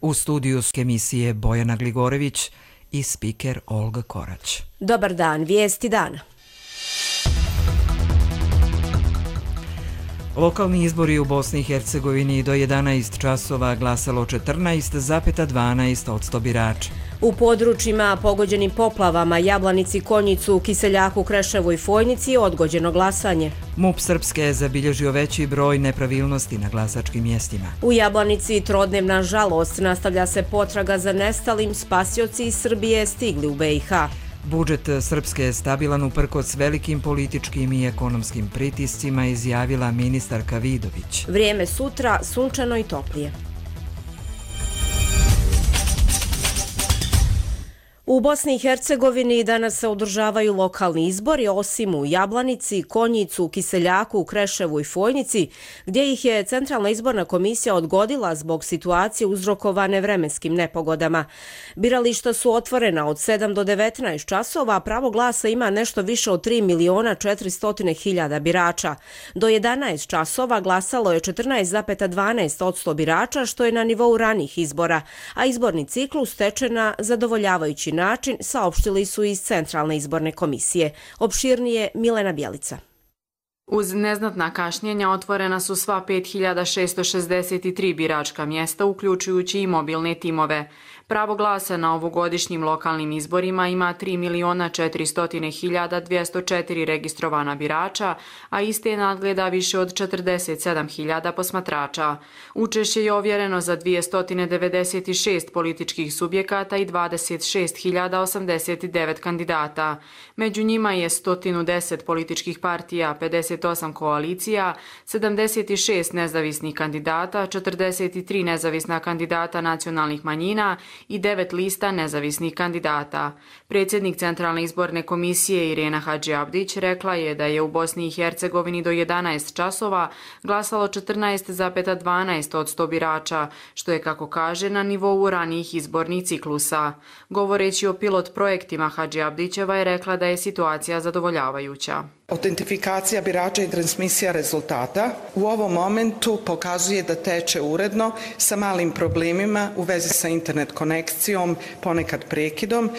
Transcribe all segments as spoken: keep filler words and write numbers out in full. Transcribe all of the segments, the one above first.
U studiju emisije Bojana Gligorević i spiker Olga Korać. Dobar dan, vijesti dana. Lokalni izbori u Bosni i Hercegovini do jedanaest časova glasalo četrnaest zarez dvanaest posto birača. U područjima pogođenim poplavama Jablanici, Konjicu, Kiseljaku, Kreševu i Fojnici je odgođeno glasanje. MUP Srpske je zabilježio veći broj nepravilnosti na glasačkim mjestima. U Jablanici trodnevna žalost, nastavlja se potraga za nestalim, spasioci iz Srbije stigli u B i H. Budžet Srpske je stabilan uprkos velikim političkim i ekonomskim pritiscima, izjavila ministarka Vidović. Vrijeme sutra sunčano i toplije. U Bosni i Hercegovini danas se održavaju lokalni izbori, osim u Jablanici, Konjicu, Kiseljaku, Kreševu i Fojnici, gdje ih je Centralna izborna komisija odgodila zbog situacije uzrokovane vremenskim nepogodama. Birališta su otvorena od sedam do devetnaest časova, a pravo glasa ima nešto više od tri miliona četiristo hiljada birača. Do jedanaest časova glasalo je četrnaest zarez dvanaest posto birača, što je na nivou ranijih izbora, a izborni ciklus teče na zadovoljavajući način, saopštili su iz Centralne izborne komisije. Opširnije Milena Bjelica. Uz neznatna kašnjenja otvorena su sva pet hiljada šesto šezdeset tri biračka mjesta, uključujući i mobilne timove. Pravo glasa na ovogodišnjim lokalnim izborima ima tri miliona četiristo hiljada dvjesto četiri registrovana birača, a iste nadgleda više od četrdeset sedam hiljada posmatrača. Učešće je ovjereno za dvjesto devedeset šest političkih subjekata i dvadeset šest hiljada osamdeset devet kandidata. Među njima je sto deset političkih partija, pedeset osam koalicija, sedamdeset šest nezavisnih kandidata, četrdeset tri nezavisna kandidata nacionalnih manjina i devet lista nezavisnih kandidata. Predsjednik Centralne izborne komisije Irena Hadžiabdić rekla je da je u Bosni i Hercegovini do jedanaest časova glasalo četrnaest zarez dvanaest posto birača, što je, kako kaže, na nivou ranijih izbornih ciklusa. Govoreći o pilot projektima, Hadžiabdićeva je rekla da je situacija zadovoljavajuća. Autentifikacija birača i transmisija rezultata u ovom momentu pokazuje da teče uredno sa malim problemima u vezi sa internet konekcijom, ponekad prekidom.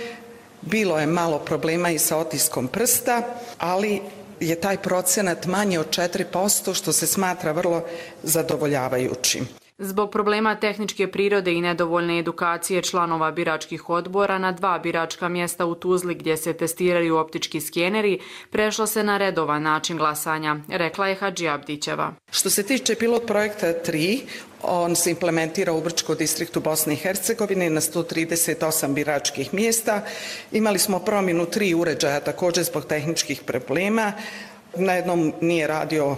Bilo je malo problema i sa otiskom prsta, ali je taj procenat manji od četiri posto, što se smatra vrlo zadovoljavajućim. Zbog problema tehničke prirode i nedovoljne edukacije članova biračkih odbora na dva biračka mjesta u Tuzli gdje se testiraju optički skeneri, prešlo se na redovan način glasanja, rekla je Hadžiabdićeva. Što se tiče pilot projekta tri, on se implementira u Brčkom distriktu Bosne i Hercegovine na sto trideset osam biračkih mjesta. Imali smo promjenu tri uređaja također zbog tehničkih problema. Na jednom nije radio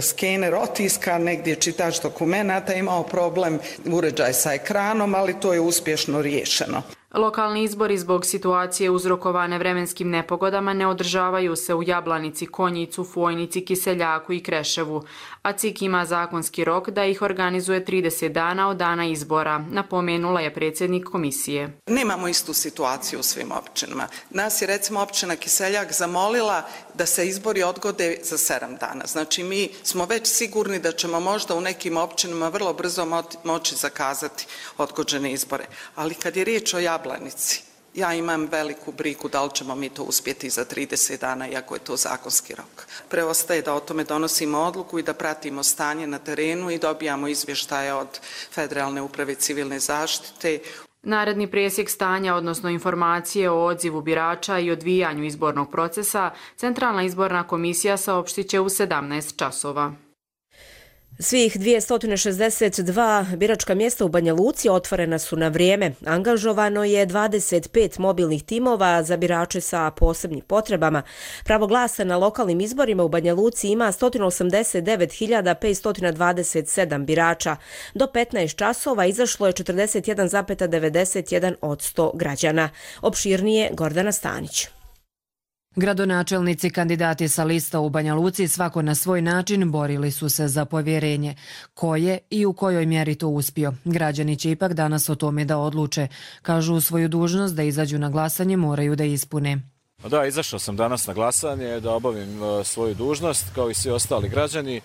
skener otiska, negdje je čitač dokumenata imao problem, uređaj sa ekranom, ali to je uspješno riješeno. Lokalni izbori zbog situacije uzrokovane vremenskim nepogodama ne održavaju se u Jablanici, Konjicu, Fojnici, Kiseljaku i Kreševu, a C I K ima zakonski rok da ih organizuje trideset dana od dana izbora, napomenula je predsjednik komisije. Nemamo istu situaciju u svim općinama. Nas je recimo općina Kiseljak zamolila da se izbori odgode za sedam dana. Znači mi smo već sigurni da ćemo možda u nekim općinama vrlo brzo moći zakazati odgođene izbore. Ali kad je riječ o Jablanici, ja imam veliku brigu da li ćemo mi to uspjeti za trideset dana, iako je to zakonski rok. Preostaje da o tome donosimo odluku i da pratimo stanje na terenu i dobijamo izvještaje od Federalne uprave civilne zaštite. Naredni presjek stanja, odnosno informacije o odzivu birača i odvijanju izbornog procesa, Centralna izborna komisija saopštit će u sedamnaest časova. Svih dvjesto šezdeset dva biračka mjesta u Banja Luci otvorena su na vrijeme. Angažovano je dvadeset pet mobilnih timova za birače sa posebnim potrebama. Pravo glasa na lokalnim izborima u Banja Luci ima sto osamdeset devet hiljada petsto dvadeset sedam birača. Do petnaest časova izašlo je četrdeset jedan zarez devedeset jedan posto građana. Opširnije Gordana Stanić. Gradonačelnici kandidati sa lista u Banja Luci svako na svoj način borili su se za povjerenje. Ko je i u kojoj mjeri to uspio? Građani će ipak danas o tome da odluče. Kažu, svoju dužnost da izađu na glasanje moraju da ispune. Da, izašao sam danas na glasanje da obavim svoju dužnost kao i svi ostali građani.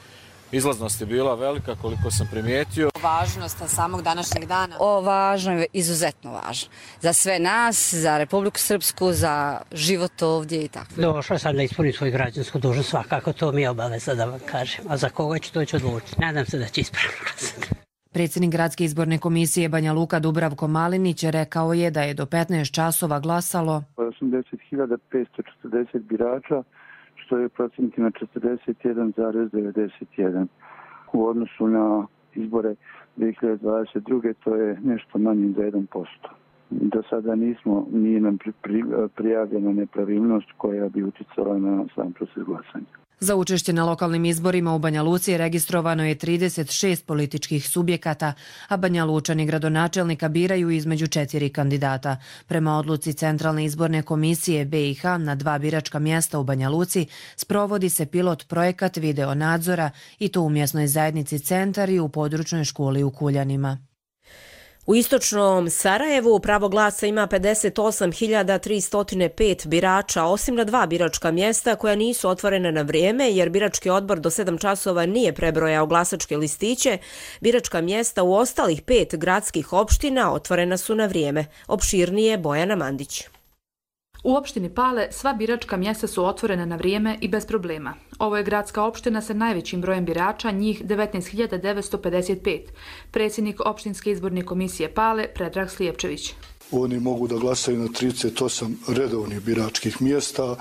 Izlaznost je bila velika, koliko sam primijetio. Važnost samog današnjeg dana? O, važno je, izuzetno važno. Za sve nas, za Republiku Srpsku, za život ovdje i tako. Došla sam da ispunim svoju građansku dužnost, svakako to mi je obaveza da vam kažem. A za koga ću to ću odlučiti? Nadam se da će ispravno glasati. Predsjednik Gradske izborne komisije Banja Luka Dubravko Malinić rekao je da je do petnaest časova glasalo osamdeset hiljada petsto četrdeset birača, što je procentima četrdeset jedan zarez devedeset jedan. U odnosu na izbore dvije hiljade dvadeset druge to je nešto manje za jedan posto. Do sada nismo, nije nam pri, pri, prijavljena nepravilnost koja bi uticala na sam proces glasanja. Za učešće na lokalnim izborima u Banja Luci registrovano je trideset šest političkih subjekata, a Banja Lučani gradonačelnika biraju između četiri kandidata. Prema odluci Centralne izborne komisije B i H na dva biračka mjesta u Banja Luci sprovodi se pilot projekat video nadzora i to u mjesnoj zajednici Centar i u područnoj školi u Kuljanima. U istočnom Sarajevu pravo glasa ima pedeset osam hiljada tristo pet birača, osim na dva biračka mjesta koja nisu otvorena na vrijeme jer birački odbor do sedam časova nije prebrojao glasačke listiće. Biračka mjesta u ostalih pet gradskih opština otvorena su na vrijeme. Opširnije Bojana Mandić. U opštini Pale sva biračka mjesta su otvorena na vrijeme i bez problema. Ovo je gradska opština sa najvećim brojem birača, njih devetnaest hiljada devetsto pedeset pet. Predsjednik opštinske izborne komisije Pale, Predrag Slijepčević. Oni mogu da glasaju na trideset osam redovnih biračkih mjesta,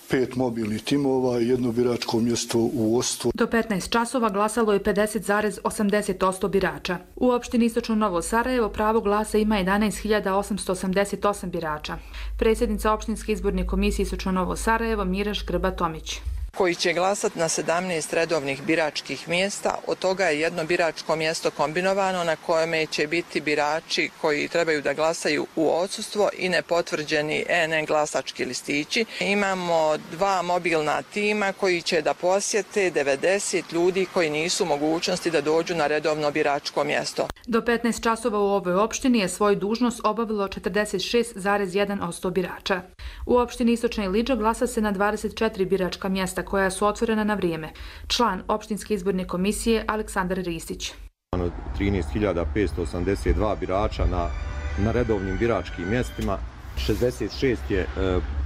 pet mobilnih timova i jedno biračko mjesto u Ostvu. Do petnaest časova glasalo je pedeset zarez osamdeset posto birača. U opštini Istočno Novo Sarajevo pravo glasa ima jedanaest hiljada osamsto osamdeset osam birača. Predsjednica opštinske izborne komisije Istočno Novo Sarajevo Miraš Grba-Tomić. Koji će glasati na sedamnaest redovnih biračkih mjesta. Od toga je jedno biračko mjesto kombinovano na kojem će biti birači koji trebaju da glasaju u odsustvo i nepotvrđeni E N E glasački listići. Imamo dva mobilna tima koji će da posjete devedeset ljudi koji nisu u mogućnosti da dođu na redovno biračko mjesto. Do petnaest časova u ovoj opštini je svoju dužnost obavilo četrdeset šest zarez jedan posto birača. U opštini Istočna Ilidža glasa se na dvadeset četiri biračka mjesta koja su otvorena na vrijeme. Član opštinske izborne komisije Aleksandar Ristić. trinaest hiljada petsto osamdeset dva birača na, na redovnim biračkim mjestima, šezdeset šest je e,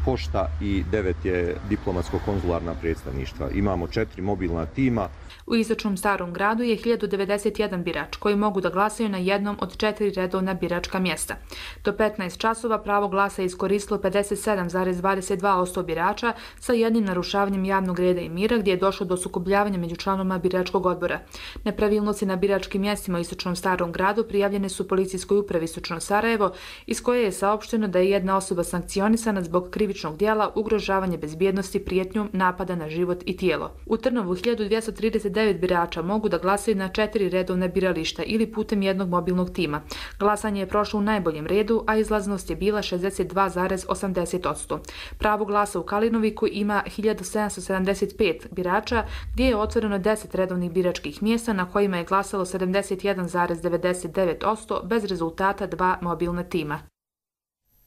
pošta i devet je diplomatsko-konzularna predstavništva. Imamo četiri mobilna tima. U Istočnom Starom gradu je hiljadu devedeset jedan birač koji mogu da glasaju na jednom od četiri redovna biračka mjesta. Do petnaest časova pravo glasa je iskoristilo pedeset sedam zarez dvadeset dva posto birača sa jednim narušavanjem javnog reda i mira gdje je došlo do sukobljavanja među članovima biračkog odbora. Nepravilnosti na biračkim mjestima u Istočnom Starom gradu prijavljene su policijskoj upravi Istočno Sarajevo, iz koje je saopšteno da je jedna osoba sankcionisana zbog krivičnog djela ugrožavanje bezbjednosti prijetnjom napada na život i tijelo. U Trnovu hiljadu dvjesto trideset devet birača mogu da glasaju na četiri redovna birališta ili putem jednog mobilnog tima. Glasanje je prošlo u najboljem redu, a izlaznost je bila šezdeset dva zarez osamdeset posto. Pravo glasa u Kalinoviku ima hiljadu sedamsto sedamdeset pet birača, gdje je otvoreno deset redovnih biračkih mjesta na kojima je glasalo sedamdeset jedan zarez devedeset devet posto bez rezultata dva mobilna tima.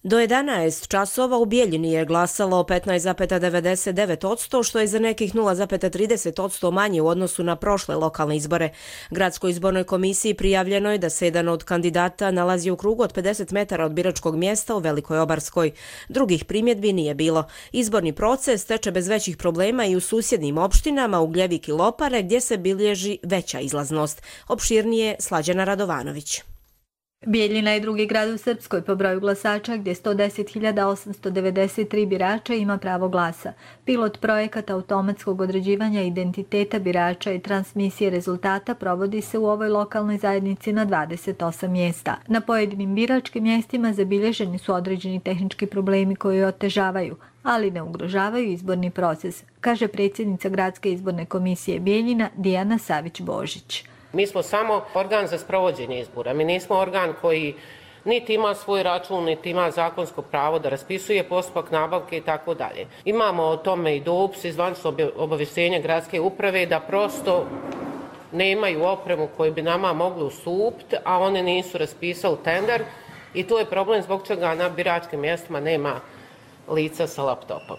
Do jedanaest časova u Bijeljini je glasalo petnaest zarez devedeset devet posto, što je za nekih nula zarez trideset posto manje u odnosu na prošle lokalne izbore. Gradskoj izbornoj komisiji prijavljeno je da se jedan od kandidata nalazi u krugu od pedeset metara od biračkog mjesta u Velikoj Obarskoj. Drugih primjedbi nije bilo. Izborni proces teče bez većih problema i u susjednim opštinama Ugljevik i Lopare, gdje se bilježi veća izlaznost. Opširnije Slađana Radovanović. Bijeljina je drugi grad u Srpskoj po broju glasača gdje sto deset hiljada osamsto devedeset tri birača ima pravo glasa. Pilot projekat automatskog određivanja identiteta birača i transmisije rezultata provodi se u ovoj lokalnoj zajednici na dvadeset osam mjesta. Na pojedinim biračkim mjestima zabilježeni su određeni tehnički problemi koji otežavaju, ali ne ugrožavaju izborni proces, kaže predsjednica Gradske izborne komisije Bijeljina Dijana Savić-Božić. Mi smo samo organ za sprovođenje izbora. Mi nismo organ koji niti ima svoj račun, niti ima zakonsko pravo da raspisuje postupak nabavke i tako dalje. Imamo o tome i dopis iz zvaničnog obavještenja gradske uprave da prosto nemaju opremu koju bi nama mogli ustupiti, a one nisu raspisali tender i tu je problem zbog čega na biračkim mjestima nema lica sa laptopom.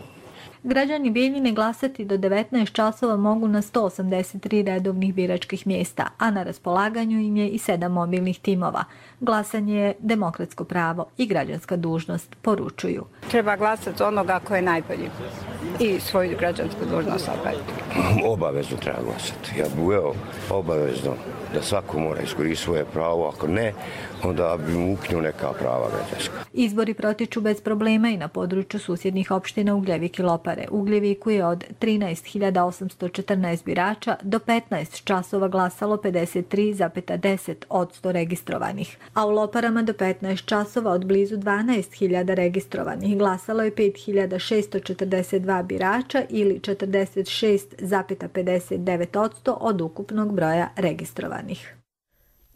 Građani Bijeljine glasati do devetnaest časova mogu na sto osamdeset tri redovnih biračkih mjesta, a na raspolaganju im je i sedam mobilnih timova. Glasanje je demokratsko pravo i građanska dužnost, poručuju. Treba glasati za onoga ko je najbolji i svoju građansku dužnost obaviti. Obavezno treba glasati. Ja bih uveo obavezno da svako mora iskoristiti svoje pravo, ako ne, onda bi mu uknio neka prava građanska. Izbori protiču bez problema i na području susjednih opština Ugljevik i Lopare. U Ugljeviku je od trinaest hiljada osamsto četrnaest birača do petnaest časova glasalo pedeset tri zarez deset posto registrovanih, a u Loparama do petnaest časova od blizu dvanaest hiljada registrovanih glasalo je pet hiljada šesto četrdeset dva birača ili četrdeset šest zarez pedeset devet posto od ukupnog broja registrovanih.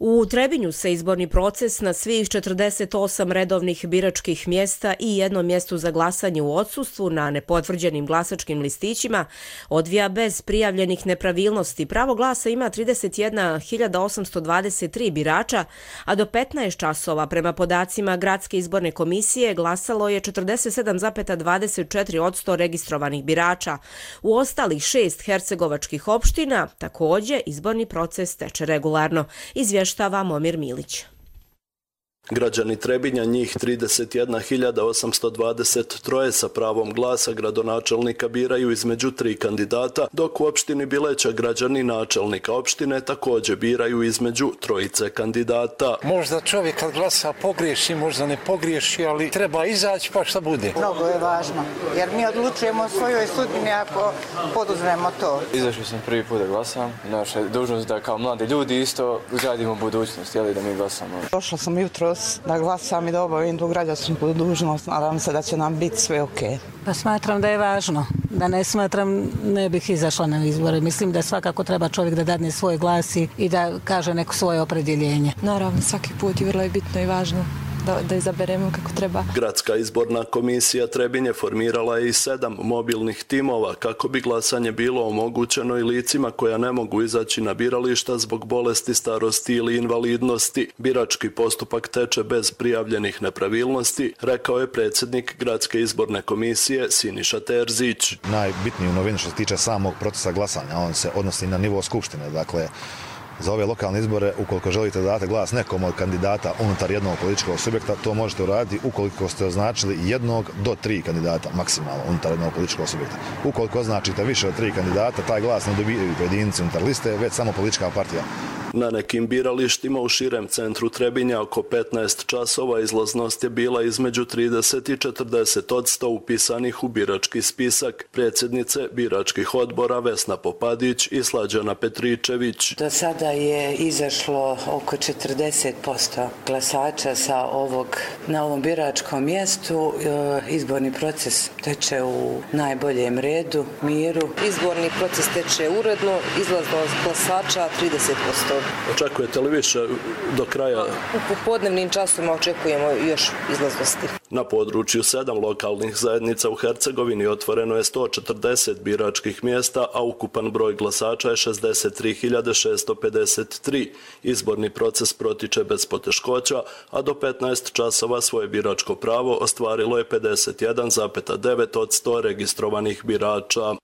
U Trebinju se izborni proces na svih četrdeset osam redovnih biračkih mjesta i jednom mjestu za glasanje u odsustvu na nepotvrđenim glasačkim listićima odvija bez prijavljenih nepravilnosti. Pravo glasa ima trideset jedna hiljada osamsto dvadeset tri birača, a do petnaest časova prema podacima Gradske izborne komisije glasalo je četrdeset sedam zarez dvadeset četiri posto registrovanih birača. U ostalih šest hercegovačkih opština također izborni proces teče regularno, izvješćuje Štava Momir Milić. Građani Trebinja, njih trideset jedna hiljada osamsto dvadeset tri sa pravom glasa gradonačelnika biraju između tri kandidata, dok u opštini Bileća građani načelnika opštine također biraju između trojice kandidata. Možda čovjek kad glasa pogriješi, možda ne pogriješi, ali treba izaći pa šta bude. Mnogo je važno, jer mi odlučujemo o svojoj sudbini ako poduzmemo to. Izašao sam prvi put da glasam. Naša dužnost da kao mladi ljudi isto gradimo budućnost, jeli da mi glasamo. Došla sam jutro da glasam i da obavim tu građansku dužnost. Nadam se da će nam biti sve ok. Pa smatram da je važno. Da ne smatram, ne bih izašla na izbore. Mislim da svakako treba čovjek da dadne svoj glas i da kaže neko svoje opredjeljenje. Naravno, svaki put je vrlo bitno i važno da, da izaberemo kako treba. Gradska izborna komisija Trebinje formirala je i sedam mobilnih timova kako bi glasanje bilo omogućeno i licima koja ne mogu izaći na birališta zbog bolesti, starosti ili invalidnosti. Birački postupak teče bez prijavljenih nepravilnosti, rekao je predsjednik Gradske izborne komisije Siniša Terzić. Najbitniju novinu što se tiče samog procesa glasanja, on se odnosi na nivo skupštine, dakle za ove lokalne izbore, ukoliko želite da date glas nekom od kandidata unutar jednog političkog subjekta, to možete uraditi ukoliko ste označili jednog do tri kandidata maksimalno unutar jednog političkog subjekta. Ukoliko označite više od tri kandidata, taj glas ne dobijaju pojedinci unutar liste, već samo politička partija. Na nekim biralištima u širem centru Trebinja oko petnaest časova izlaznost je bila između trideset i četrdeset posto upisanih u birački spisak. Predsjednice biračkih odbora Vesna Popadić i Slađana Petričević. Do sada je izašlo oko četrdeset posto glasača sa ovog, na ovom biračkom mjestu. Izborni proces teče u najboljem redu, miru. Izborni proces teče uredno, izlaznost glasača trideset posto. Očekujete li više do kraja? U popodnevnim časima očekujemo još izlaznosti. Na području sedam lokalnih zajednica u Hercegovini otvoreno je sto četrdeset biračkih mjesta, a ukupan broj glasača je šezdeset tri hiljade šesto pedeset tri. Izborni proces protiče bez poteškoća, a do petnaest časova svoje biračko pravo ostvarilo je pedeset jedan zarez devet posto registrovanih birača.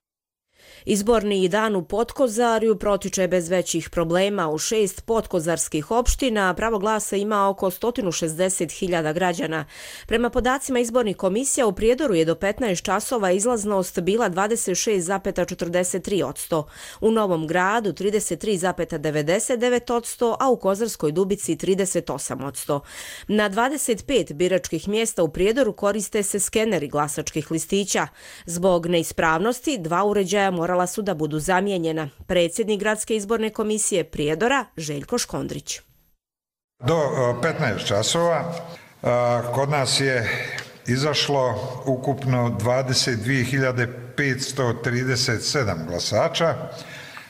Izborni dan u Potkozarju protiče bez većih problema. U šest potkozarskih opština pravo glasa ima oko sto šezdeset hiljada građana. Prema podacima izbornih komisija u Prijedoru je do petnaest časova izlaznost bila dvadeset šest zarez četrdeset tri posto. U Novom Gradu trideset tri zarez devedeset devet posto, a u Kozarskoj Dubici trideset osam posto. Na dvadeset pet biračkih mjesta u Prijedoru koriste se skeneri glasačkih listića. Zbog neispravnosti dva uređaja morala su da budu zamijenjena. Predsjednik Gradske izborne komisije Prijedora Željko Škondrić. Do petnaest časova kod nas je izašlo ukupno dvadeset dvije hiljade petsto trideset sedam glasača.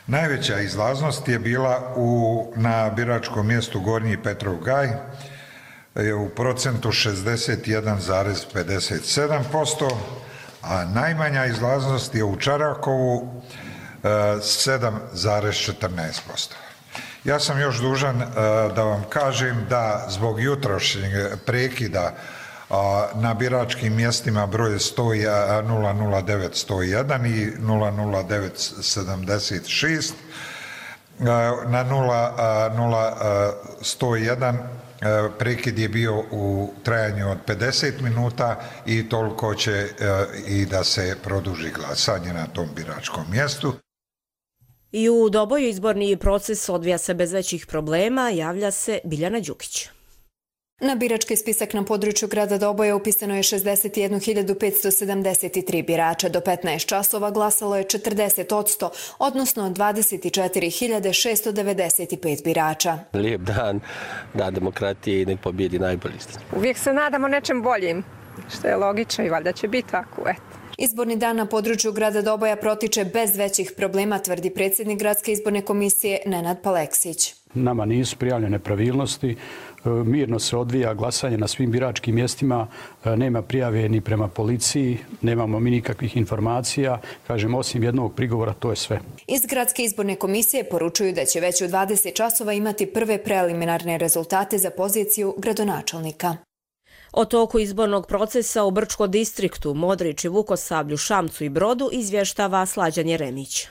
Najveća izlaznost je bila u, na biračkom mjestu Gornji Petrov Gaj je u procentu šezdeset jedan zarez pedeset sedam posto, a najmanja izlaznost je u Čarakovu sedam zarez četrnaest posto. Ja sam još dužan da vam kažem da zbog jutrošnjeg prekida na biračkim mjestima broj nula nula devet sto jedan i nula nula devet sedamdeset šest. Na nula nula sto jedan prekid je bio u trajanju od pedeset minuta i toliko će i da se produži glasanje na tom biračkom mjestu. I u Doboju izborni proces odvija se bez većih problema, javlja se Biljana Đukić. Na birački spisak na području grada Doboja upisano je šezdeset jednu hiljadu petsto sedamdeset tri birača. Do petnaest časova glasalo je četrdeset posto, odnosno dvadeset četiri hiljade šesto devedeset pet birača. Lijep dan, dan demokratije i nek pobjedi najbolji. Uvijek se nadamo nečem boljim, što je logično i valjda će biti tako, eto. Izborni dan na području grada Doboja protiče bez većih problema, tvrdi predsjednik Gradske izborne komisije Nenad Paleksić. Nama nisu prijavljene nepravilnosti, mirno se odvija glasanje na svim biračkim mjestima, nema prijave ni prema policiji, nemamo mi nikakvih informacija, kažem, osim jednog prigovora, to je sve. Iz Gradske izborne komisije poručuju da će već u dvadeset časova imati prve preliminarne rezultate za poziciju gradonačelnika. O toku izbornog procesa u Brčko distriktu, Modriči, Vukosavlju, Šamcu i Brodu izvještava Slađan Jeremić.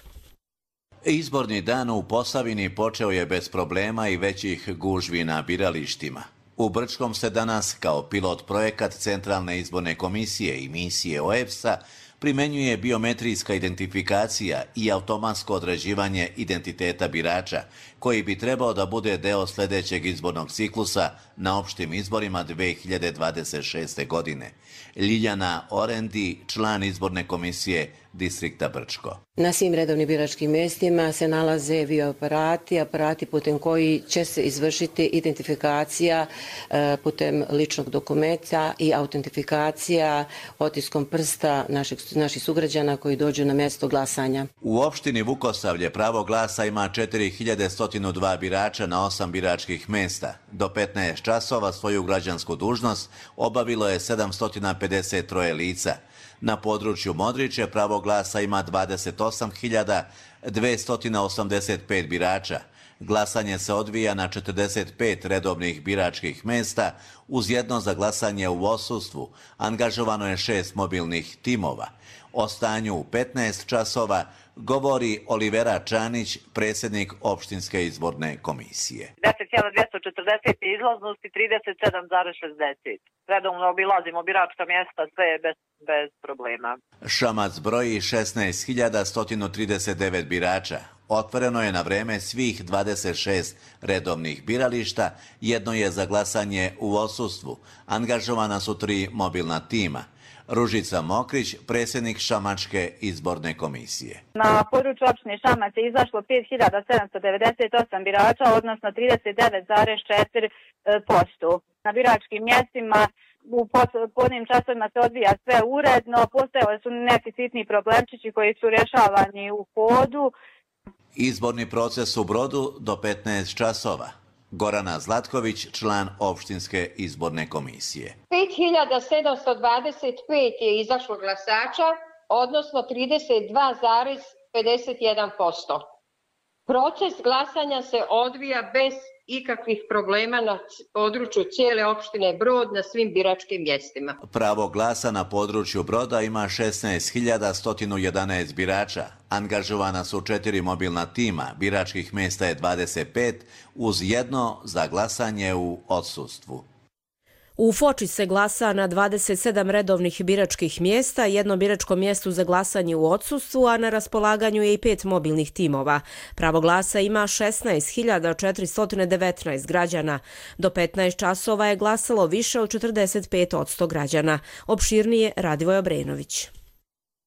Izborni dan u Posavini počeo je bez problema i većih gužvi na biralištima. U Brčkom se danas kao pilot projekat Centralne izborne komisije i misije O E B S-a primenjuje biometrijska identifikacija i automatsko određivanje identiteta birača, koji bi trebao da bude deo sljedećeg izbornog ciklusa na opštim izborima dve hiljade dvadeset šeste. godine. Ljiljana Orendi, član izborne komisije distrikta Brčko. Na svim redovnim biračkim mjestima se nalaze video aparati, aparati putem koji će se izvršiti identifikacija putem ličnog dokumenta i autentifikacija otiskom prsta naših, naših sugrađana koji dođu na mjesto glasanja. U opštini Vukosavlje pravo glasa ima četiri hiljade sto dva birača na osam biračkih mjesta. Do petnaest časova svoju građansku dužnost obavilo je sedamsto pedeset tri lica. Na području Modriče pravo glasa ima dvadeset osam hiljada dvesta osamdeset pet birača. Glasanje se odvija na četrdeset pet redovnih biračkih mjesta uz jedno za glasanje u odsustvu. Angažovano je šest mobilnih timova. O stanju u petnaest časova govori Olivera Čanić, predsjednik opštinske izborne komisije. deset hiljada dvjesto četrdeset izlaznosti, trideset sedam zarez šezdeset. Redovno obilazimo biračka mjesta, sve je bez, bez problema. Šamac broji šesnaest hiljada sto trideset devet birača. Otvoreno je na vreme svih dvadeset šest redovnih birališta, jedno je za glasanje u odsustvu. Angažovana su tri mobilna tima. Ružica Mokrić, predsjednik Šamačke izborne komisije. Na području opštine Šamac je izašlo pet hiljada sedamsto devedeset osam birača, odnosno trideset devet zarez četiri posto. Na biračkim mjestima u podnim časovima se odvija sve uredno, postojali su neki sitni problemčići koji su rješavani u hodu. Izborni proces u Brodu do petnaest časova. Gorana Zlatković, član opštinske izborne komisije. pet hiljada sedamsto dvadeset pet je izašlo glasača, odnosno trideset dva zarez pedeset jedan posto. Proces glasanja se odvija bez ikakvih problema na području cijele opštine Brod na svim biračkim mjestima. Pravo glasa na području Broda ima šesnaest hiljada sto jedanaest birača. Angažovana su četiri mobilna tima, biračkih mjesta je dvadeset pet, uz jedno za glasanje u odsustvu. U Foči se glasa na dvadeset sedam redovnih biračkih mjesta, jedno biračko mjesto za glasanje u odsustvu, a na raspolaganju je i pet mobilnih timova. Pravo glasa ima šesnaest hiljada četiristo devetnaest građana. Do petnaest časova je glasalo više od četrdeset pet posto građana. Opširnije Radivoj Obrenović.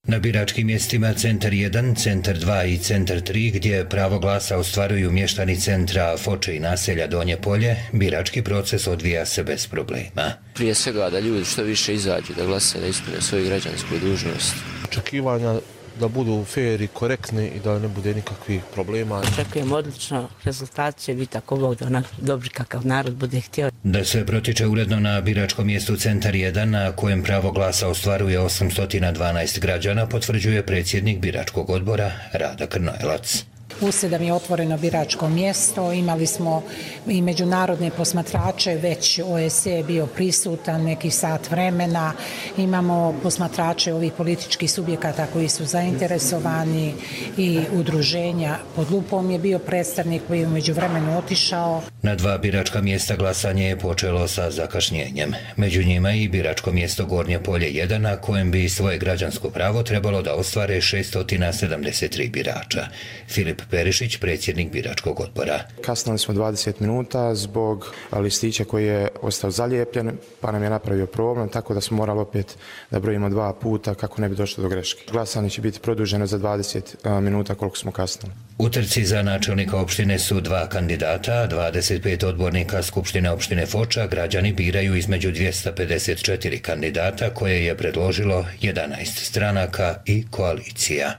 Na biračkim mjestima Centar jedan, Centar dva i Centar tri, gdje pravo glasa ostvaruju mještani centra Foče i naselja Donje Polje, birački proces odvija se bez problema. Prije svega da ljudi što više izađu, da glase, da ispune svoju građansku dužnost. Očekivanja da budu fair i korektni i da ne bude nikakvih problema. Očekujem odlično, rezultat će biti ako Bog da onak dobri kakav narod bude htio. Da sve protiče uredno na biračkom mjestu Centar jedan, na kojem pravo glasa ostvaruje osamsto dvanaest građana, potvrđuje predsjednik biračkog odbora Rada Krnojelac. u sedam je otvoreno biračko mjesto, imali smo i međunarodne posmatrače, već O E S C E je bio prisutan neki sat vremena, imamo posmatrače ovih političkih subjekata koji su zainteresovani i udruženja. Pod lupom je bio predstavnik koji je u međuvremenu otišao. Na dva biračka mjesta glasanje je počelo sa zakašnjenjem. Među njima i biračko mjesto Gornje Polje jedan, na kojem bi svoje građansko pravo trebalo da ostvare šesto sedamdeset tri birača. Filip Perišić, predsjednik biračkog odbora. Kasnili smo dvadeset minuta zbog listića koji je ostao zalijepljen, pa nam je napravio problem, tako da smo morali opet da brojimo dva puta kako ne bi došlo do greške. Glasanje će biti produženo za dvadeset minuta koliko smo kasnili. U trci za načelnika opštine su dva kandidata, dvadeset pet odbornika Skupštine opštine Foča. Građani biraju između dvjesto pedeset četiri kandidata koje je predložilo jedanaest stranaka i koalicija.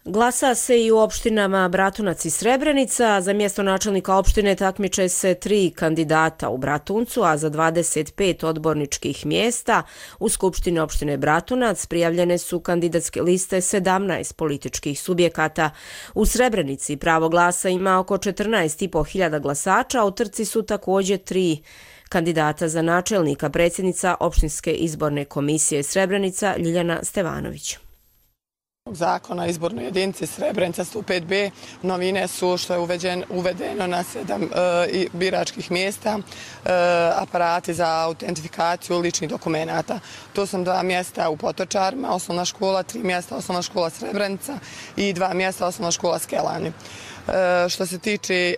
Glasa se i u opštinama Bratunac i Srebrenica. Za mjesto načelnika opštine takmiče se tri kandidata u Bratuncu, a za dvadeset pet odborničkih mjesta u Skupštini opštine Bratunac prijavljene su kandidatske liste sedamnaest političkih subjekata. U Srebrenici pravo glasa ima oko četrnaest i po hiljada glasača, a u trci su također tri kandidata za načelnika, predsjednica opštinske izborne komisije Srebrenica Ljiljana Stevanović. Zakona o izbornoj jedinici Srebrenica sto pet B novine su što je uveđen, uvedeno na sedam e, biračkih mjesta e, aparati za autentifikaciju ličnih dokumenata. To su dva mjesta u Potočarima, osnovna škola, tri mjesta osnovna škola Srebrenica i dva mjesta osnovna škola Skelani. E, što se tiče e,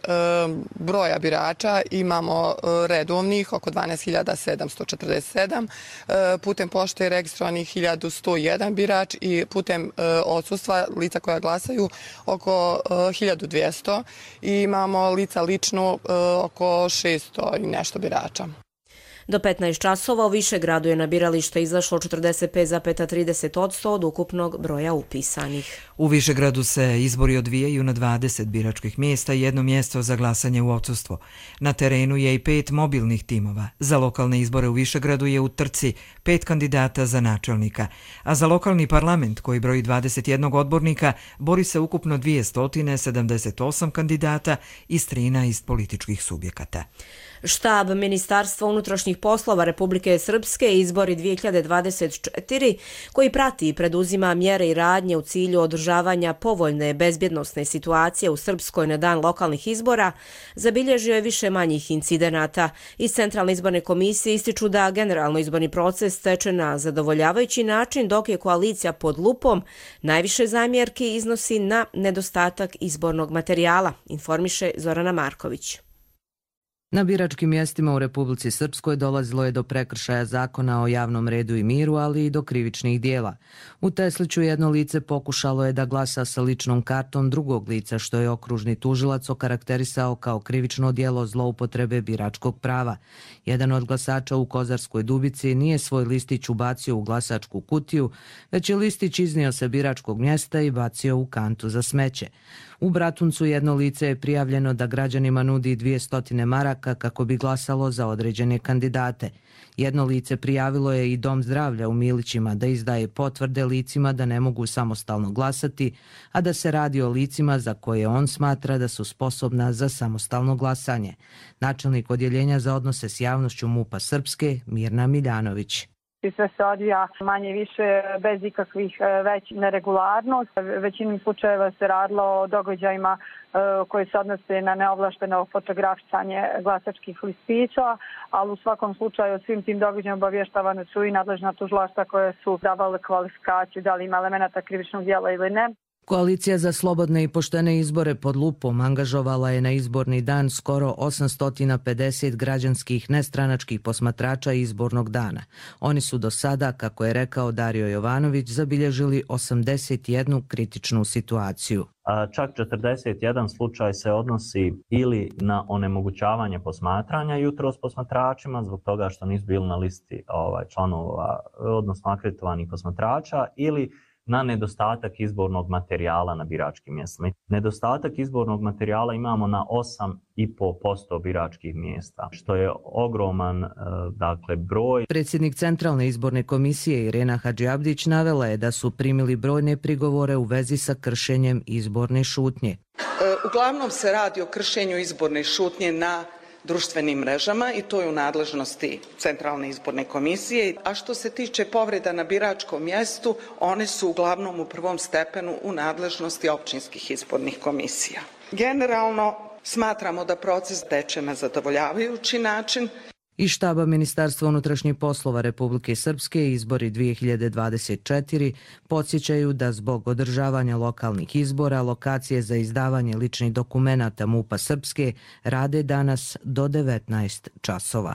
broja birača, imamo e, redovnih oko dvanaest hiljada sedamsto četrdeset sedam, e, putem pošte je registrovanih hiljadu sto jedan birač i putem e, odsustva lica koja glasaju oko e, hiljadu dvjesto i imamo lica lično e, oko šesto i nešto birača. Do petnaest časova u Višegradu je na biralište izašlo četrdeset pet zarez trideset posto od ukupnog broja upisanih. U Višegradu se izbori odvijaju na dvadeset biračkih mjesta i jedno mjesto za glasanje u odsustvo. Na terenu je i pet mobilnih timova. Za lokalne izbore u Višegradu je u trci pet kandidata za načelnika, a za lokalni parlament koji broji dvadeset jedan odbornika bori se ukupno dvjesto sedamdeset osam kandidata iz trinaest političkih subjekata. Štab Ministarstva unutrašnjih poslova Republike Srpske izbori dvije hiljade dvadeset četiri, koji prati i preduzima mjere i radnje u cilju održavanja povoljne bezbjednosne situacije u Srpskoj na dan lokalnih izbora, zabilježio je više manjih incidenata. Iz Centralne izborne komisije ističu da generalno izborni proces teče na zadovoljavajući način, dok je koalicija pod lupom najviše zamjerki iznosi na nedostatak izbornog materijala, informiše Zorana Marković. Na biračkim mjestima u Republici Srpskoj dolazilo je do prekršaja zakona o javnom redu i miru, ali i do krivičnih dijela. U Tesliću jedno lice pokušalo je da glasa sa ličnom kartom drugog lica, što je okružni tužilac okarakterisao kao krivično djelo zloupotrebe biračkog prava. Jedan od glasača u Kozarskoj Dubici nije svoj listić ubacio u glasačku kutiju, već je listić iznio sa biračkog mjesta i bacio u kantu za smeće. U Bratuncu jedno lice je prijavljeno da građanima nudi dvjesto maraka kako bi glasalo za određene kandidate. Jedno lice prijavilo je i Dom zdravlja u Milićima da izdaje potvrde licima da ne mogu samostalno glasati, a da se radi o licima za koje on smatra da su sposobna za samostalno glasanje. Načelnik odjeljenja za odnose s javnošću MUP-a Srpske, Mirna Miljanović. Sve se odvija manje više bez ikakvih već neregularnost. Većinom slučajeva se radilo o događajima koji se odnose na neovlašteno fotografisanje glasačkih listića, ali u svakom slučaju svim tim događajima obavještavane su i nadležna tužilaštva koje su davale kvalifikaciju da li ima elemenata krivičnog djela ili ne. Koalicija za slobodne i poštene izbore pod lupom angažovala je na izborni dan skoro osamsto pedeset građanskih nestranačkih posmatrača izbornog dana. Oni su do sada, kako je rekao Dario Jovanović, zabilježili osamdeset jednu kritičnu situaciju. Čak četrdeset jedan slučaj se odnosi ili na onemogućavanje posmatranja jutros posmatračima zbog toga što nisu bili na listi ovaj, članova, odnosno akreditovanih posmatrača, ili na nedostatak izbornog materijala na biračkim mjestima. Nedostatak izbornog materijala imamo na osam i pol posto biračkih mjesta, što je ogroman dakle, broj. Predsjednik Centralne izborne komisije Irena Hadžiabdić navela je da su primili brojne prigovore u vezi sa kršenjem izborne šutnje. Uglavnom se radi o kršenju izborne šutnje na društvenim mrežama i to je u nadležnosti Centralne izborne komisije. A što se tiče povreda na biračkom mjestu, one su uglavnom u prvom stepenu u nadležnosti općinskih izbornih komisija. Generalno smatramo da proces teče na zadovoljavajući način. Iz štaba Ministarstva unutrašnjih poslova Republike Srpske izbori dvije hiljade dvadeset četiri podsjećaju da zbog održavanja lokalnih izbora lokacije za izdavanje ličnih dokumenata MUP-a Srpske rade danas do devetnaest časova.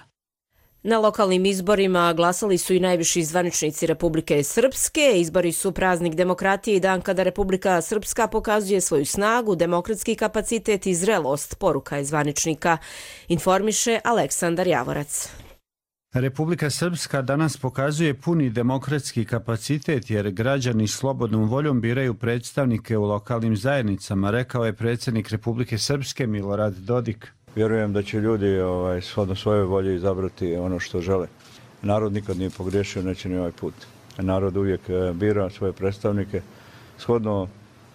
Na lokalnim izborima glasali su i najviši zvaničnici Republike Srpske. Izbori su praznik demokratije i dan kada Republika Srpska pokazuje svoju snagu, demokratski kapacitet i zrelost, poruka je zvaničnika, informiše Aleksandar Javorac. Republika Srpska danas pokazuje puni demokratski kapacitet jer građani slobodnom voljom biraju predstavnike u lokalnim zajednicama, rekao je predsjednik Republike Srpske Milorad Dodik. Vjerujem da će ljudi ovaj, shodno svoje volje izabrati ono što žele. Narod nikad nije pogriješio, neće ni ovaj put. Narod uvijek bira svoje predstavnike shodno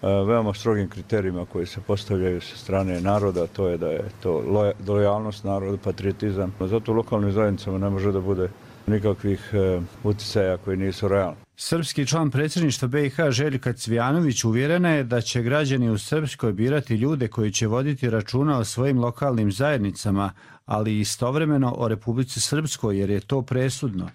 veoma strogim kriterijima koji se postavljaju sa strane naroda, to je da je to lojalnost narodu, patriotizam. Zato u lokalnim zajednicama ne može da bude nikakvih uticaja koji nisu realni. Srpski član predsjedništva B i H Željka Cvijanović uvjerena je da će građani u Srpskoj birati ljude koji će voditi računa o svojim lokalnim zajednicama, ali istovremeno o Republici Srpskoj jer je to presudno.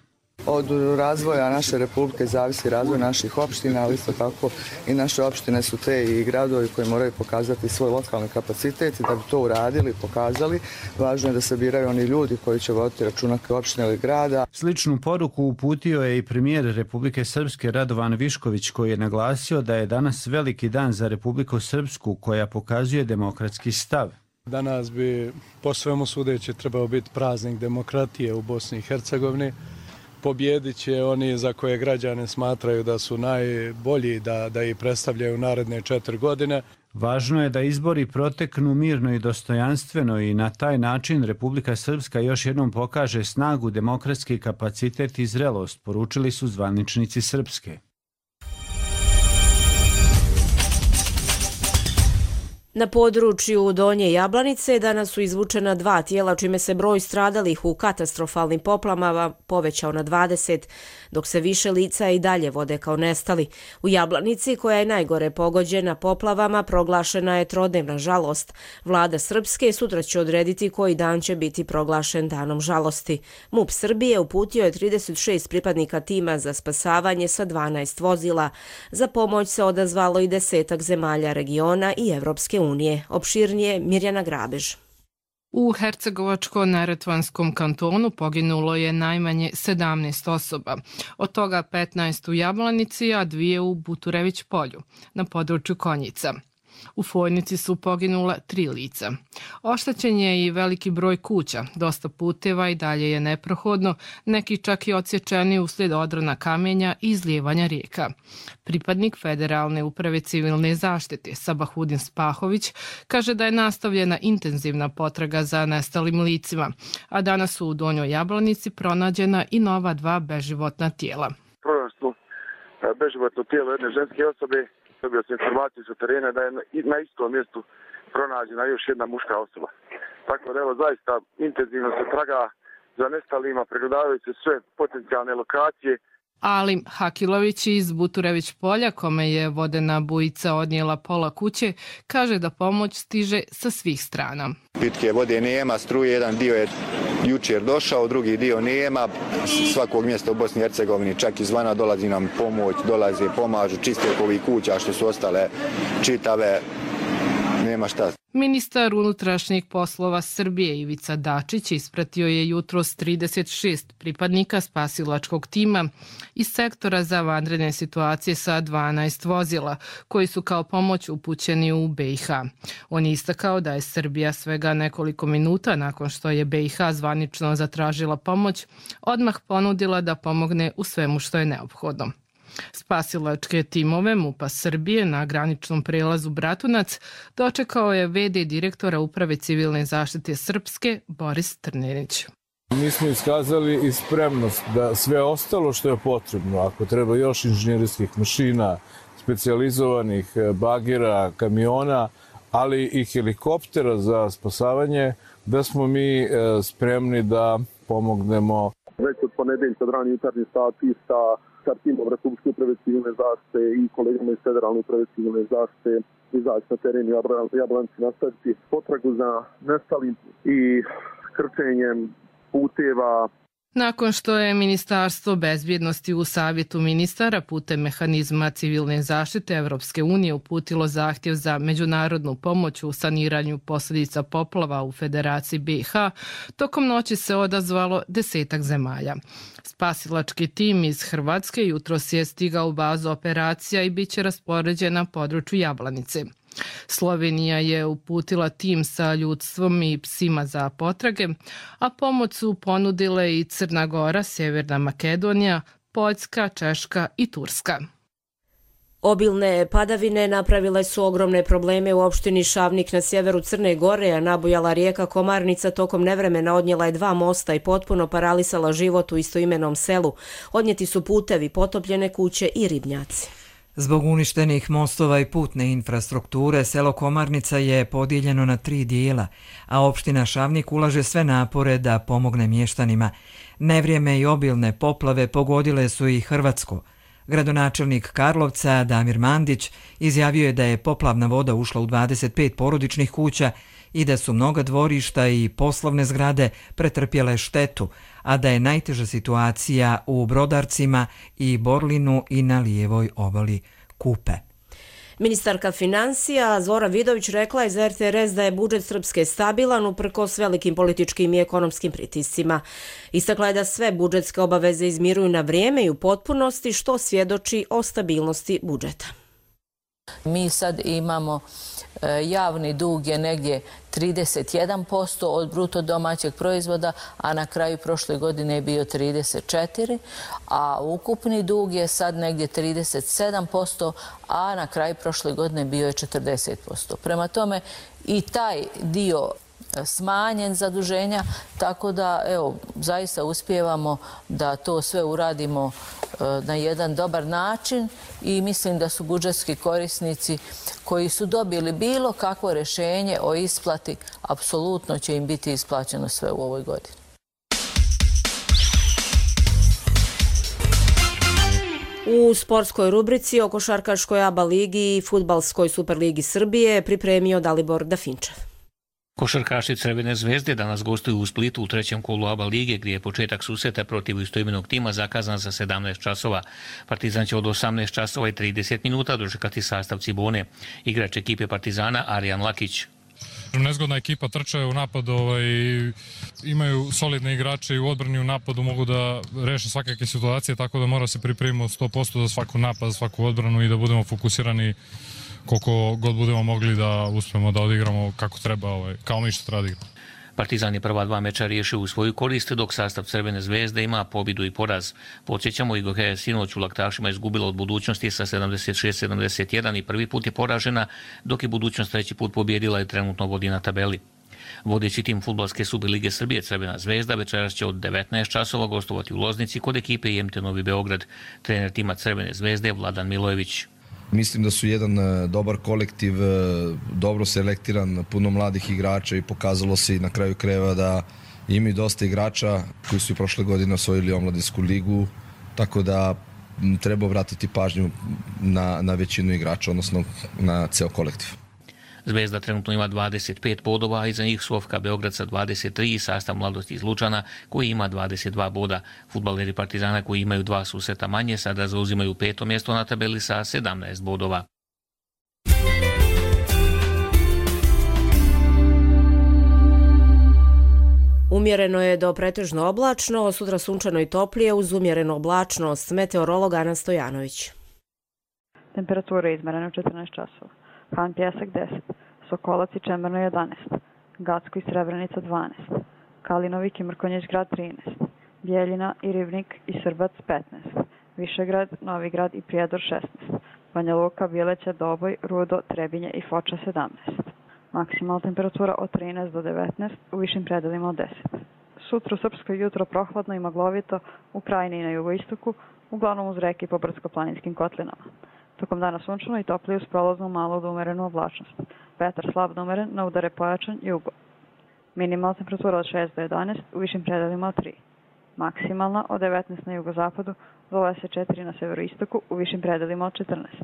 Od razvoja naše republike zavisi razvoj naših opština, ali isto tako i naše opštine su te i gradovi koji moraju pokazati svoj lokalni kapacitet i da bi to uradili, pokazali, važno je da se biraju oni ljudi koji će voditi računa kao opštine ili grada. Sličnu poruku uputio je i premijer Republike Srpske Radovan Višković koji je naglasio da je danas veliki dan za Republiku Srpsku koja pokazuje demokratski stav. Danas bi po svemu sudeći trebao biti praznik demokratije u Bosni i Hercegovini. Pobjedit će oni za koje građane smatraju da su najbolji da, da ih predstavljaju naredne četiri godine. Važno je da izbori proteknu mirno i dostojanstveno i na taj način Republika Srpska još jednom pokaže snagu, demokratski kapacitet i zrelost, poručili su zvaničnici Srpske. Na području Donje Jablanice danas su izvučena dva tijela, čime se broj stradalih u katastrofalnim poplavama povećao na dvadeset, dok se više lica i dalje vode kao nestali. U Jablanici, koja je najgore pogođena poplavama, proglašena je trodnevna žalost. Vlada Srpske sutra će odrediti koji dan će biti proglašen danom žalosti. MUP Srbije uputio je trideset šest pripadnika tima za spasavanje sa dvanaest vozila. Za pomoć se odazvalo i desetak zemalja regiona i Evropske unije. Opširnije Mirjana Grabež. U Hercegovačko-neretvanskom kantonu poginulo je najmanje sedamnaest osoba, od toga petnaest u Jablanici, a dvije u Buturević polju, na području Konjica. U Fojnici su poginula tri lica. Oštećen je i veliki broj kuća, dosta puteva i dalje je neprohodno, neki čak i odsječeni uslijed odrona kamenja i izlijevanja rijeka. Pripadnik Federalne uprave civilne zaštite Sabahudin Spahović kaže da je nastavljena intenzivna potraga za nestalim licima, a danas su u Donjoj Jablanici pronađena i nova dva beživotna tijela. Pronašli beživotno tijelo jedne ženske osobe. Dobio sam informaciju sa terena da je na istom mjestu pronađena još jedna muška osoba. Tako da evo zaista intenzivno se traga za nestalima, pregledavaju se sve potencijalne lokacije. Alim Hakilović iz Buturević polja, kome je vodena bujica odnijela pola kuće, kaže da pomoć stiže sa svih strana. Pitke vode nema, struje, jedan dio je jučer došao, drugi dio nema. Svakog mjesta u Bosni i Hercegovini, čak izvana dolazi nam pomoć, dolaze, pomažu, čiste ovih kuća što su ostale čitave, nema šta. Ministar unutrašnjih poslova Srbije Ivica Dačić ispratio je jutros trideset šest pripadnika spasilačkog tima iz sektora za vanredne situacije sa dvanaest vozila, koji su kao pomoć upućeni u B i H. On je istakao da je Srbija svega nekoliko minuta nakon što je B i H zvanično zatražila pomoć, odmah ponudila da pomogne u svemu što je neophodno. Spasilačke timove MUP-a Srbije na graničnom prelazu Bratunac dočekao je ve de direktora Uprave civilne zaštite Srpske Boris Trninić. Mi smo iskazali i spremnost da sve ostalo što je potrebno, ako treba još inženjerijskih mašina, specijalizovanih bagera, kamiona, ali i helikoptera za spasavanje, da smo mi spremni da pomognemo. Već od ponedeljka od ranih jutarnjih sati sa, sa timom Republičke uprave civilne zaštite i kolegama iz Federalne uprave civilne zaštite izaći na teren i Jablanci nastaviti potragu za nestalim i krčenjem puteva. Nakon što je Ministarstvo bezbjednosti u Savjetu ministara putem mehanizma civilne zaštite Evropske unije uputilo zahtjev za međunarodnu pomoć u saniranju posljedica poplava u Federaciji be i ha, tokom noći se odazvalo desetak zemalja. Spasilački tim iz Hrvatske jutros je stigao u bazu operacija i bit će raspoređen na području Jablanice. Slovenija je uputila tim sa ljudstvom i psima za potrage, a pomoć su ponudile i Crna Gora, Sjeverna Makedonija, Poljska, Češka i Turska. Obilne padavine napravile su ogromne probleme u opštini Šavnik na sjeveru Crne Gore, a nabujala rijeka Komarnica tokom nevremena odnijela je dva mosta i potpuno paralisala život u istoimenom selu. Odnijeti su putevi, potopljene kuće i ribnjaci. Zbog uništenih mostova i putne infrastrukture, selo Komarnica je podijeljeno na tri dijela, a opština Šavnik ulaže sve napore da pomogne mještanima. Nevrijeme i obilne poplave pogodile su i Hrvatsko. Gradonačelnik Karlovca Damir Mandić izjavio je da je poplavna voda ušla u dvadeset pet porodičnih kuća i da su mnoga dvorišta i poslovne zgrade pretrpjele štetu, a da je najteža situacija u Brodarcima i Borlinu i na lijevoj obali Kupe. Ministarka financija Zora Vidović rekla je za er te er es da je budžet Srpske stabilan uprkos velikim političkim i ekonomskim pritiscima. Istakla je da sve budžetske obaveze izmiruju na vrijeme i u potpunosti, što svjedoči o stabilnosti budžeta. Mi sad imamo javni dug je negdje trideset jedan posto od bruto domaćeg proizvoda, a na kraju prošle godine je bio trideset četiri posto, a ukupni dug je sad negdje trideset sedam posto, a na kraju prošle godine bio je četrdeset posto. Prema tome i taj dio smanjen zaduženja, tako da evo, zaista uspijevamo da to sve uradimo na jedan dobar način i mislim da su budžetski korisnici koji su dobili bilo kakvo rješenje o isplati, apsolutno će im biti isplaćeno sve u ovoj godini. U sportskoj rubrici o košarkaškoj A B A ligi i fudbalskoj Superligi Srbije pripremio Dalibor Dafinčev. Košarkaši Crvene zvezde danas gostuju u Splitu u trećem kolu A B A lige, gdje je početak susreta protiv istoimenog tima zakazan za sedamnaest časova. Partizan će od osamnaest časova i trideset minuta dočekati sastav Cibone. Igrač ekipe Partizana Arijan Lakić. Nezgodna ekipa, trče u napadu, ovaj, imaju solidne igrače i u odbrani u napadu mogu da reše svakakve situacije, tako da mora se pripremiti sto posto za svaku napad, za svaku odbranu i da budemo fokusirani koliko god budemo mogli da uspemo da odigramo kako treba, ovaj, kao mi što treba da igramo. Partizan je prva dva meča riješio u svoju korist, dok sastav Crvene zvezde ima pobjedu i poraz. Podsjećamo, Igor je sinoć u Laktašima izgubila od Budućnosti sa sedamdeset šest sedamdeset jedan i prvi put je poražena, dok je Budućnost treći put pobjedila i trenutno vodi na tabeli. Vodeći tim fudbalske Superlige Srbije Crvena zvezda večeras će od devetnaest časova gostovati u Loznici kod ekipe I M T Novi Beograd. Trener tima Crvene zvezde je Vladan Milojević. Mislim da su jedan dobar kolektiv, dobro selektiran, puno mladih igrača i pokazalo se i na kraju krajeva da imaju dosta igrača koji su i prošle godine osvojili omladinsku ligu, tako da treba obratiti pažnju na, na većinu igrača, odnosno na ceo kolektiv. Zvezda trenutno ima dvadeset pet bodova, a iza njih su F K Beograd sa dvadeset tri i sastav Mladosti iz Lučana koji ima dvadeset dva boda. Fudbaleri Partizana koji imaju dva susreta manje sada zauzimaju peto mjesto na tabeli sa sedamnaest bodova. Umjereno je do pretežno oblačno, sutra sunčano i toplije uz umjerenu oblačnost. Meteorolog Ana Stojanović. Temperatura je izmerena u četrnaest časova. Han Pjesak deset, Sokolac i Čemerno jedanaest, Gacko i Srebrenica dvanaest, Kalinovik i Mrkonjić grad trinaest, Bijeljina i Rivnik i Srbac petnaest, Višegrad, Novigrad i Prijedor šesnaest, Banja Luka, Bjeleća, Doboj, Rudo, Trebinje i Foča sedamnaest. Maksimalna temperatura od trinaest do devetnaest, u višim predelima od deset. Sutra u Srpskoj jutro prohladno i maglovito, u Krajini i na jugoistoku, uglavnom uz reke i po brdsko-planinskim kotlinama. Tokom dana sunčano i toplije uz prolaznu malu do umerenu oblačnost. Vetar slab do umeren, na udare pojačan jugo. Minimalna temperatura od šest do jedanaest, u višim predelima od tri. Maksimalna od devetnaest na jugozapadu do dvadeset četiri na severoistoku, u višim predelima od četrnaest.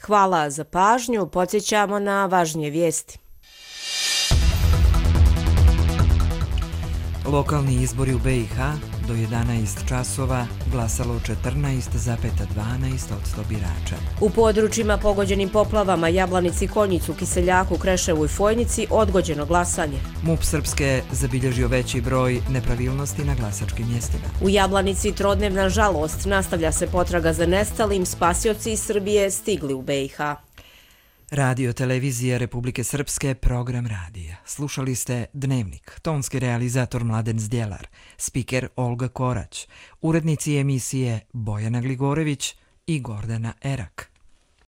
Hvala za pažnju, podsjećamo na važnije vijesti. Lokalni izbori u B i H do jedanaest časova glasalo četrnaest zarez dvanaest posto birača. U područjima pogođenim poplavama Jablanici, Konjicu, Kiseljaku, Kreševu i Fojnici odgođeno glasanje. MUP Srpske zabilježio veći broj nepravilnosti na glasačkim mjestima. U Jablanici trodnevna žalost, nastavlja se potraga za nestalim, spasioci iz Srbije stigli u B i H. Radio televizija Republike Srpske, program radija. Slušali ste Dnevnik, tonski realizator Mladen Zdjelar, spiker Olga Korać, urednici emisije Bojana Gligorević i Gordana Erak.